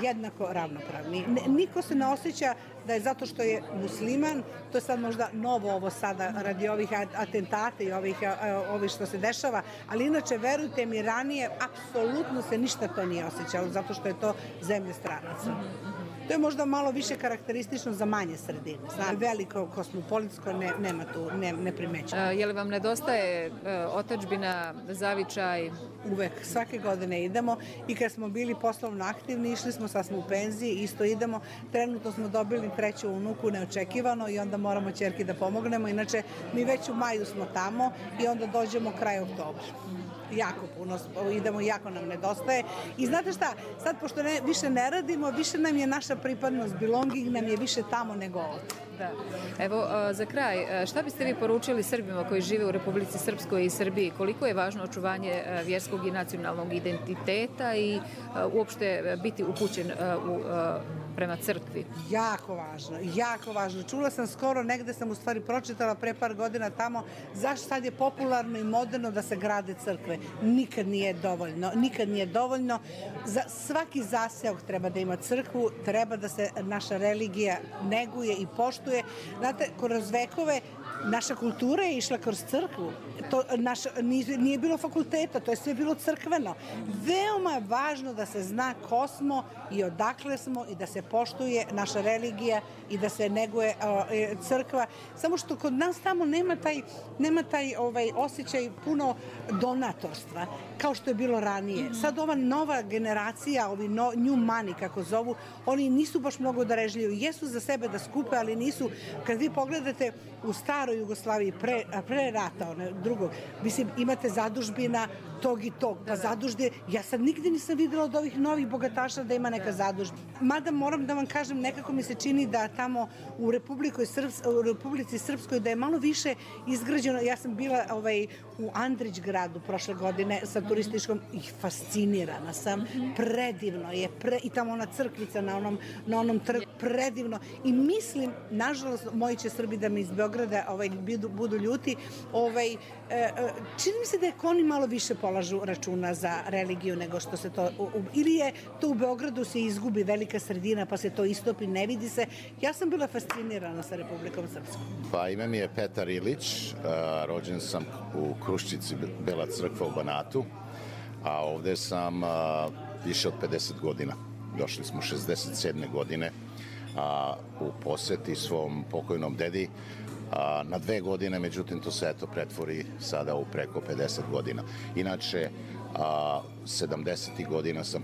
jednako ravnopravni. Niko se ne osjeća da je zato što je musliman, to je sad možda novo ovo sada radi ovih atentata i ovih, ovih što se dešava, ali inače, verujte mi, ranije apsolutno se ništa to nije osjećalo, zato što je to zemlja stranaca. To je možda malo više karakteristično za manje sredine. Znam, veliko kosmopolitsko ne, nema tu, ne, ne primećamo. Je li vam nedostaje uh, otadžbina, zavičaj? Uvek, svake godine idemo i kad smo bili poslovno aktivni, išli smo, sad smo u penziji, isto idemo. Trenutno smo dobili treću unuku neočekivano i onda moramo ćerki da pomognemo. Inače, mi već u maju smo tamo i onda dođemo kraj oktobra. Jako puno idemo, jako nam nedostaje. I znate šta, sad pošto ne, više ne radimo, više nam je naša pripadnost, belonging nam je više tamo nego ovdje. Da. Evo, za kraj, šta biste vi poručili Srbima koji žive u Republici Srpskoj i Srbiji? Koliko je važno očuvanje vjerskog i nacionalnog identiteta i uopšte biti upućen u prema crkvi? Jako važno, jako važno. Čula sam skoro, negde sam u stvari pročitala pre par godina tamo, zašto sad je popularno i moderno da se grade crkve. Nikad nije dovoljno, nikad nije dovoljno. Za svaki zaseok treba da ima crkvu, treba da se naša religija neguje i poštuje. Znate, kroz vekove naša kultura je išla kroz crkvu. To naš, nije, nije bilo fakulteta, to je sve bilo crkveno. Veoma je važno da se zna ko smo i odakle smo i da se poštuje naša religija i da se neguje o, crkva. Samo što kod nas tamo nema taj, nema taj ovaj, osjećaj puno donatorstva, kao što je bilo ranije. Sad ova nova generacija, ovi no, new money, kako zovu, oni nisu baš mnogo darežljivi. Jesu za sebe da skupe, ali nisu. Kad vi pogledate u staroj Jugoslaviji, pre, pre rata, one, drugog, mislim, imate zadužbina tog i tog, pa zadužde, ja sad nigde nisam videla od ovih novih bogataša da ima neka zadužbina. Mada moram da vam kažem, nekako mi se čini da tamo u, Srps, u Republici Srpskoj da je malo više izgrađeno. Ja sam bila ovaj, u Andrić gradu prošle godine sa turističkom i fascinirana sam. Predivno je, pre, i tamo ona crkvica na onom, na onom trgu, predivno. I mislim, nažalost, moji će Srbi da mi iz Beograda ovaj, budu, budu ljuti, ovaj, čini mi se da je oni malo više polažu računa za religiju nego što se to, ili je to u Beogradu se izgubi velika sredina pa se to istopi, ne vidi se. Ja sam bila fascinirana sa Republikom Srpskom. Pa ime mi je Petar Ilić, rođen sam u Kruščici, Bela crkva u Banatu, a ovde sam više od pedeset godina. Došli smo šezdeset sedme godine a, u poseti svom pokojnom dedi a, na dve godine, međutim to se eto pretvori sada u preko pedeset godina. Inače, a, sedamdesetih godina sam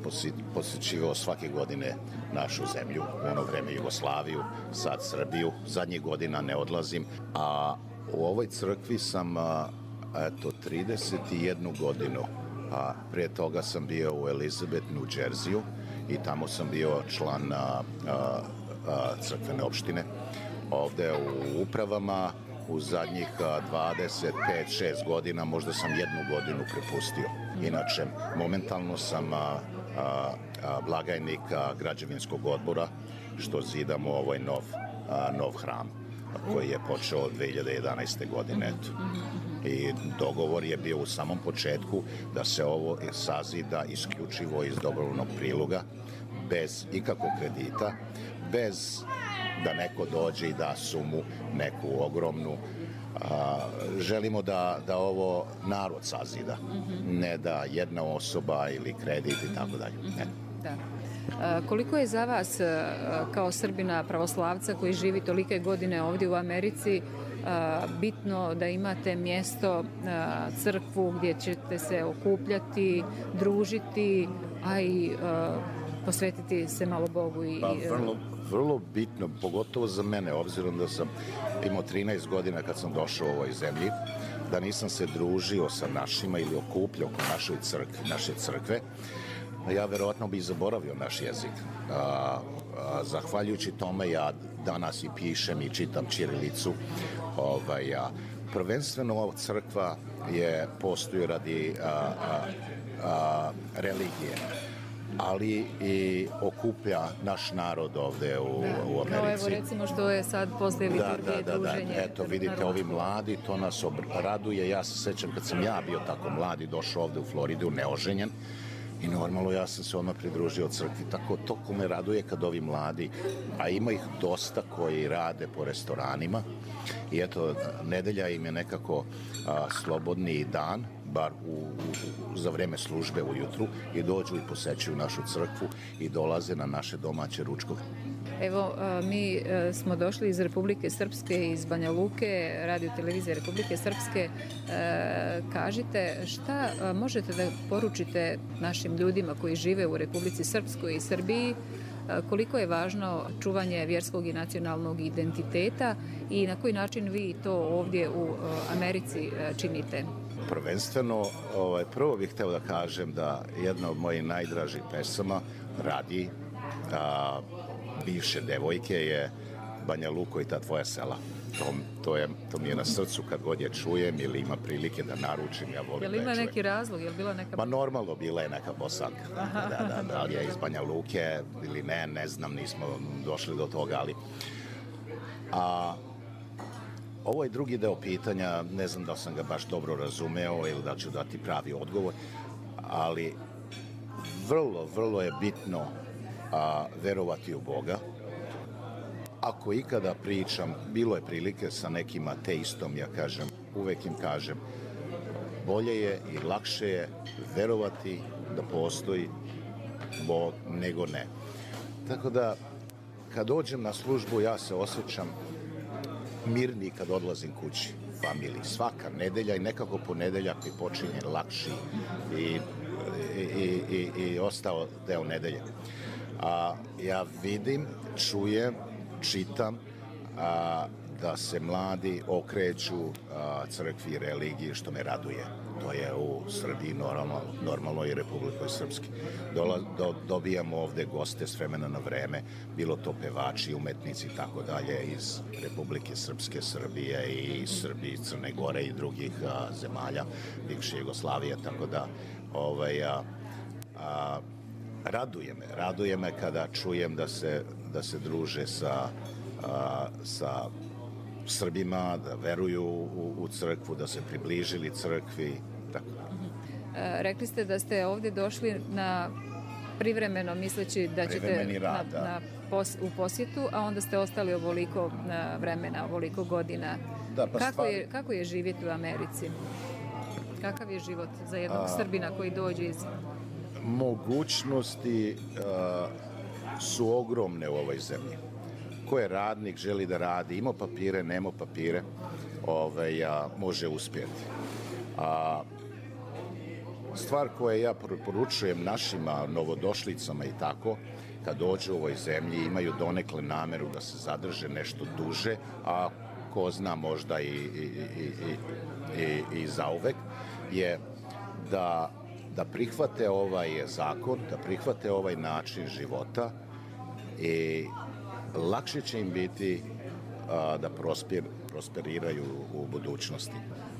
posjećivao svake godine našu zemlju, u ono vreme Jugoslaviju, sad Srbiju, zadnjih godina ne odlazim, a u ovoj crkvi sam a, eto trideset jednu godinu A prije toga sam bio u Elizabeth, New Jerseyu i tamo sam bio član a, a, a, crkvene opštine. Ovde u upravama u zadnjih dvadeset pet šest godina možda sam jednu godinu prepustio. Inače, momentalno sam a, a, a, blagajnik a, građevinskog odbora što zidamo ovaj nov, a, nov hram koji je počeo od dve hiljade jedanaeste. godine. I dogovor je bio u samom početku da se ovo sazida isključivo iz dobrovoljnog priloga, bez ikakvog kredita, bez da neko dođe i da sumu neku ogromnu. A, želimo da, da ovo narod sazida, ne da jedna osoba ili kredit i tako dalje. Da. A, koliko je za vas kao Srbina pravoslavca koji živi tolike godine ovdje u Americi a, bitno da imate mjesto, a, crkvu gdje ćete se okupljati, družiti, a i a, posvetiti se malo Bogu? I, pa, vrlo, vrlo bitno, pogotovo za mene, obzirom da sam imao trinaest godina kad sam došao u ovoj zemlji, da nisam se družio sa našima ili okupljao oko našoj crkve, naše crkve, ja verovatno bih zaboravio naš jezik. A, a, zahvaljujući tome ja danas i pišem i čitam ćirilicu. Ovaj, a, prvenstveno ova crkva je postoji radi a, a, a, religije, ali i okuplja naš narod ovde u, da, u Americi. Kao evo recimo što je sad posle liturgije da, da, da, druženje. Da, eto vidite, ovi mladi, to nas raduje. Ja se sećam kad sam ja bio tako mladi, došao ovde u Floridu, neoženjen, i normalno ja sam se odmah pridružio crkvi. Tako to ko me raduje kad ovi mladi, a ima ih dosta koji rade po restoranima, i eto, nedelja im je nekako a, slobodni dan, bar u, u, za vreme službe ujutru, i dođu i posećuju našu crkvu i dolaze na naše domaće ručkove. Evo, mi smo došli iz Republike Srpske, iz Banja Luke, radio televizije Republike Srpske. Kažite, šta možete da poručite našim ljudima koji žive u Republici Srpskoj i Srbiji, koliko je važno čuvanje vjerskog i nacionalnog identiteta i na koji način vi to ovdje u Americi činite? Prvenstveno, ovaj, prvo bih hteo da kažem da jedna od mojih najdražih pesama radi a, bivše devojke je Banja Luko i ta tvoja sela. To, to, je, to mi je na srcu kad god je čujem ili ima prilike da naručim, ja volim da je čujem. Je li ima neki razlog? Je li bila neka... Ma normalno, bila je neka Bosanka. Da, da, da, da li je iz Banja Luke ili ne, ne znam, nismo došli do toga, ali... A, ovo je drugi deo pitanja, ne znam da sam ga baš dobro razumeo ili da ću dati pravi odgovor, ali vrlo, vrlo je bitno a, verovati u Boga. Ako ikada pričam, bilo je prilike sa nekim ateistom, ja kažem, uvek im kažem, bolje je i lakše je verovati da postoji Bog nego ne. Tako da, kad dođem na službu, ja se osjećam mirni kad odlazim kući, familiji. Svaka nedelja i nekako ponedeljak mi počinje lakši i, i, i, i ostao deo nedelje. A, ja vidim, čujem, čitam a, da se mladi okreću a, crkvi i religiji, što me raduje. To je u Srbiji normalno, normalno i Republikoj Srpski. Dola, do, dobijamo ovde goste s vremena na vreme, bilo to pevači, umetnici i tako dalje iz Republike Srpske, Srbije i Srbije, Crne Gore i drugih a, zemalja, bivše Jugoslavije, tako da ovaj, a, a, raduje me, raduje me kada čujem da se, da se druže sa, a, sa Srbima, da veruju u, u crkvu, da se približili crkvi. Tako. E, rekli ste da ste ovdje došli na privremeno, misleći da ćete rad, na, na pos, u posjetu, a onda ste ostali ovoliko vremena, ovoliko godina. Da, pa kako, stvari... je, kako je živjeti u Americi? Kakav je život za jednog a... Srbina koji dođe iz... Mogućnosti a, su ogromne u ovoj zemlji. Ko je radnik, želi da radi, ima papire, nema papire, ovaj, a, može uspjeti. A, stvar koje ja preporučujem našima novodošlicama i tako, kad dođu u ovoj zemlji, imaju donekle nameru da se zadrže nešto duže, a ko zna možda i, i, i, i, i, i zauvek, je da, da prihvate ovaj zakon, da prihvate ovaj način života i lakše će im biti a, da prosper, prosperiraju u budućnosti.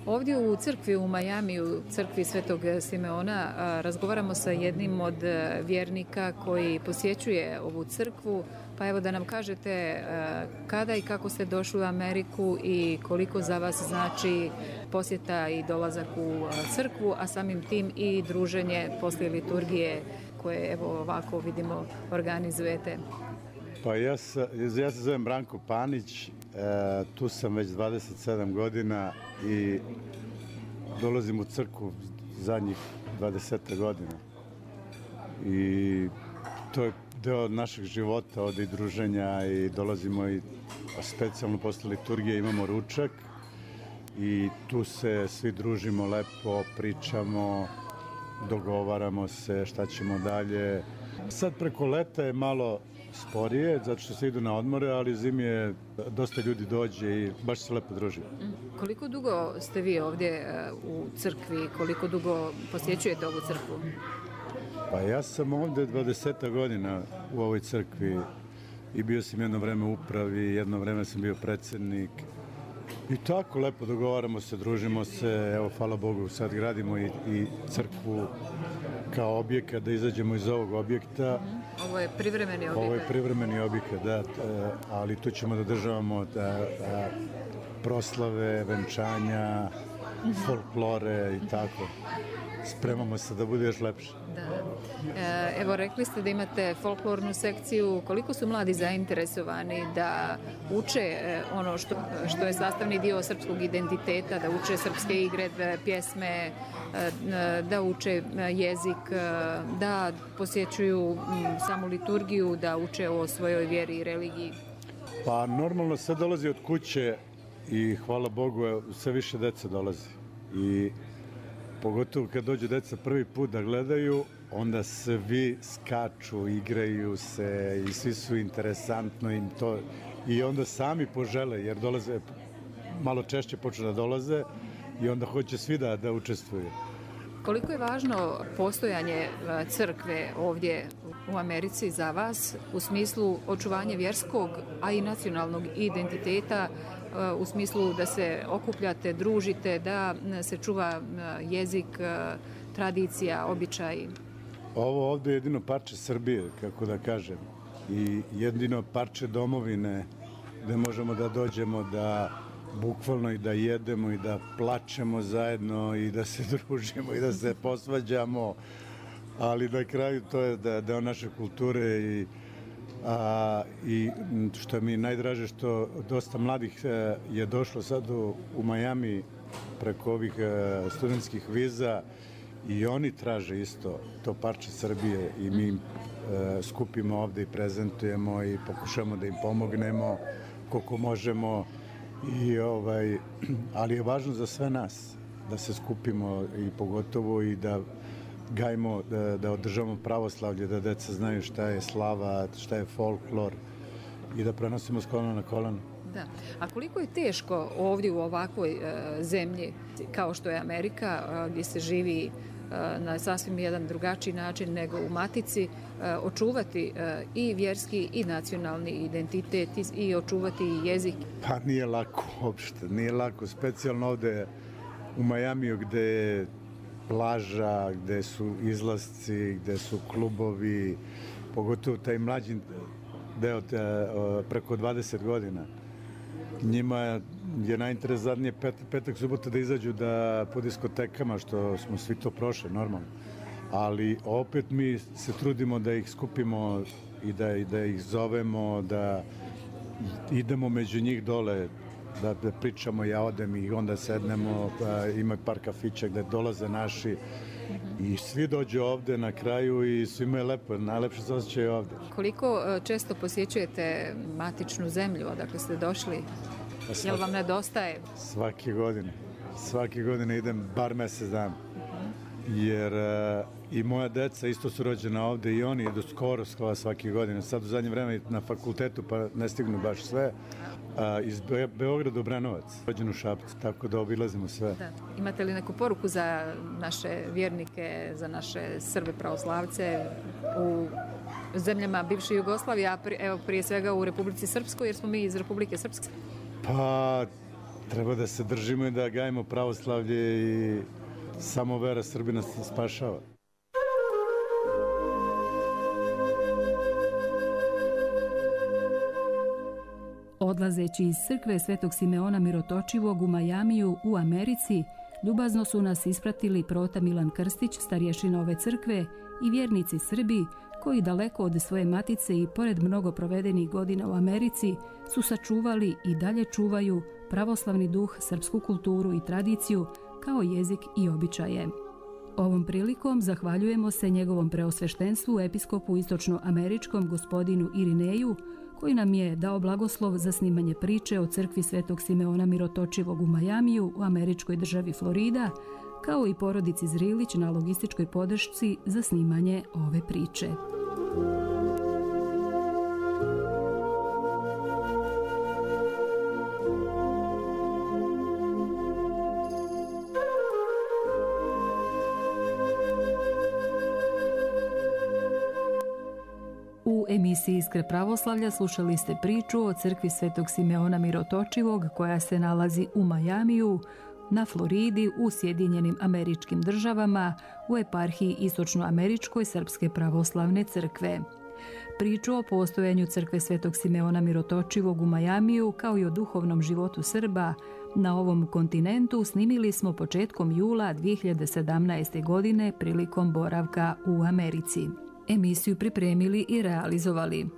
Ovdje u crkvi u Majamiju, u crkvi Svetog Simeona, razgovaramo sa jednim od vjernika koji posjećuje ovu crkvu. Pa evo da nam kažete kada i kako ste došli u Ameriku i koliko za vas znači posjeta i dolazak u crkvu, a samim tim i druženje poslije liturgije koje evo ovako vidimo organizujete. Pa ja se, ja se zovem Branko Panić, e, tu sam već dvadeset sedam godina i dolazim u crkvu zadnjih dvadeset godina. I to je deo našeg života, ovde i druženja i dolazimo i specijalno posle liturgije imamo ručak i tu se svi družimo lepo, pričamo, dogovaramo se šta ćemo dalje. Sad preko leta je malo sporije, zato što se idu na odmore, ali zimi je dosta ljudi dođe i baš se lepo druži. Koliko dugo ste vi ovdje u crkvi, koliko dugo posjećujete ovu crkvu? Pa ja sam ovdje dvadeset godina u ovoj crkvi i bio sam jedno vreme u upravi, jedno vreme sam bio predsjednik. I tako lepo dogovaramo se, družimo se, evo hvala Bogu sad gradimo i, i crkvu kao objekat, da izađemo iz ovog objekta. Ovo je privremeni objekat. Ovo je privremeni objekat, da, ali tu ćemo da državamo da, da, proslave, venčanja, folklore i tako. Spremamo se da bude još lepše. Da. Evo, rekli ste da imate folklornu sekciju. Koliko su mladi zainteresovani da uče ono što, što je sastavni dio srpskog identiteta, da uče srpske igre, pjesme, da uče jezik, da posjećuju samu liturgiju, da uče o svojoj vjeri i religiji? Pa normalno sve dolazi od kuće i hvala Bogu sve više dece dolazi. I pogotovo kad dođu deca prvi put da gledaju, onda svi skaču, igraju se i svi su interesantno im to. I onda sami požele, jer dolaze, malo češće počnu da dolaze i onda hoće svi da, da učestvuju. Koliko je važno postojanje crkve ovdje u Americi za vas u smislu očuvanja vjerskog, a i nacionalnog identiteta, u smislu da se okupljate, družite, da se čuva jezik, tradicija, običaji? Ovo ovdje je jedino parče Srbije, kako da kažem, i jedino parče domovine gde možemo da dođemo da bukvalno i da jedemo i da plačemo zajedno i da se družimo i da se posvađamo, ali na kraju to je da, deo naše kulture i, a, i što mi je najdraže što dosta mladih je došlo sad u, u Majami preko ovih studentskih viza i oni traže isto to parče Srbije i mi im e, skupimo ovde i prezentujemo i pokušamo da im pomognemo koliko možemo. I, ovaj, ali je važno za sve nas da se skupimo i pogotovo i da gajimo, da, da održavamo pravoslavlje, da deca znaju šta je slava, šta je folklor i da prenosimo s kolena na koleno. Da. A koliko je teško ovdje u ovakvoj uh, zemlji kao što je Amerika, uh, gdje se živi uh, na sasvim jedan drugačiji način nego u matici, uh, očuvati uh, i vjerski i nacionalni identitet i, i očuvati jezik? Pa nije lako uopšte, nije lako, specijalno ovde u Majamiju gde je plaža, gde su izlasci, gde su klubovi, pogotovo taj mlađi deo te, uh, preko dvadeset godina. Njima je najinteresantnije pet, petak, subota da izađu da po diskotekama, što smo svi to prošli, normalno. Ali opet mi se trudimo da ih skupimo i da, i da ih zovemo, da idemo među njih dole, da, da pričamo, ja odem i onda sednemo, pa ima par kafića gde dolaze naši i svi dođu ovde na kraju i svima je lepo, najlepše se osjećaju ovde. Koliko često posjećujete matičnu zemlju, odakle ste došli? Svaki, jel vam nedostaje? Svake godine. Svake godine idem bar mesec dana. jer i moja deca isto su rođena ovde i oni idu skoro skoro svake godine. Sad u zadnje vreme na fakultetu pa ne stignu baš sve. A, iz Be Beograda do Branovac, rođen u Šapcu, tako da obilazimo sve. Da. Imate li neku poruku za naše vjernike, za naše Srbe pravoslavce u zemljama bivše Jugoslavije, a pri, evo prije svega u Republici Srpskoj, jer smo mi iz Republike Srpske? Pa treba da se držimo i da gajimo pravoslavlje i samo vera Srbina se spašava. Odlazeći iz crkve Svetog Simeona Mirotočivog u Majamiju u Americi, ljubazno su nas ispratili prota Milan Krstić, starješina ove crkve, i vjernici Srbi koji daleko od svoje matice i pored mnogo provedenih godina u Americi su sačuvali i dalje čuvaju pravoslavni duh, srpsku kulturu i tradiciju kao jezik i običaje. Ovom prilikom zahvaljujemo se njegovom preosveštenstvu episkopu istočnoameričkom gospodinu Irineju, koji nam je dao blagoslov za snimanje priče o crkvi Svetog Simeona Mirotočivog u Majamiju u američkoj državi Florida, kao i porodici Zrilić na logističkoj podršci za snimanje ove priče. U emisiji Iskre pravoslavlja slušali ste priču o crkvi Svetog Simeona Mirotočivog koja se nalazi u Majamiju, na Floridi, u Sjedinjenim Američkim Državama, u eparhiji Istočnoameričkoj Srpske pravoslavne crkve. Priču o postojanju crkve Svetog Simeona Mirotočivog u Majamiju, kao i o duhovnom životu Srba na ovom kontinentu, snimili smo početkom jula dvije hiljade sedamnaeste. godine prilikom boravka u Americi. Emisiju pripremili i realizovali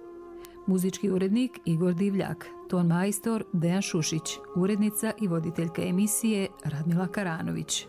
muzički urednik Igor Divljak, ton majstor Dejan Šušić, urednica i voditeljka emisije Radmila Karanović.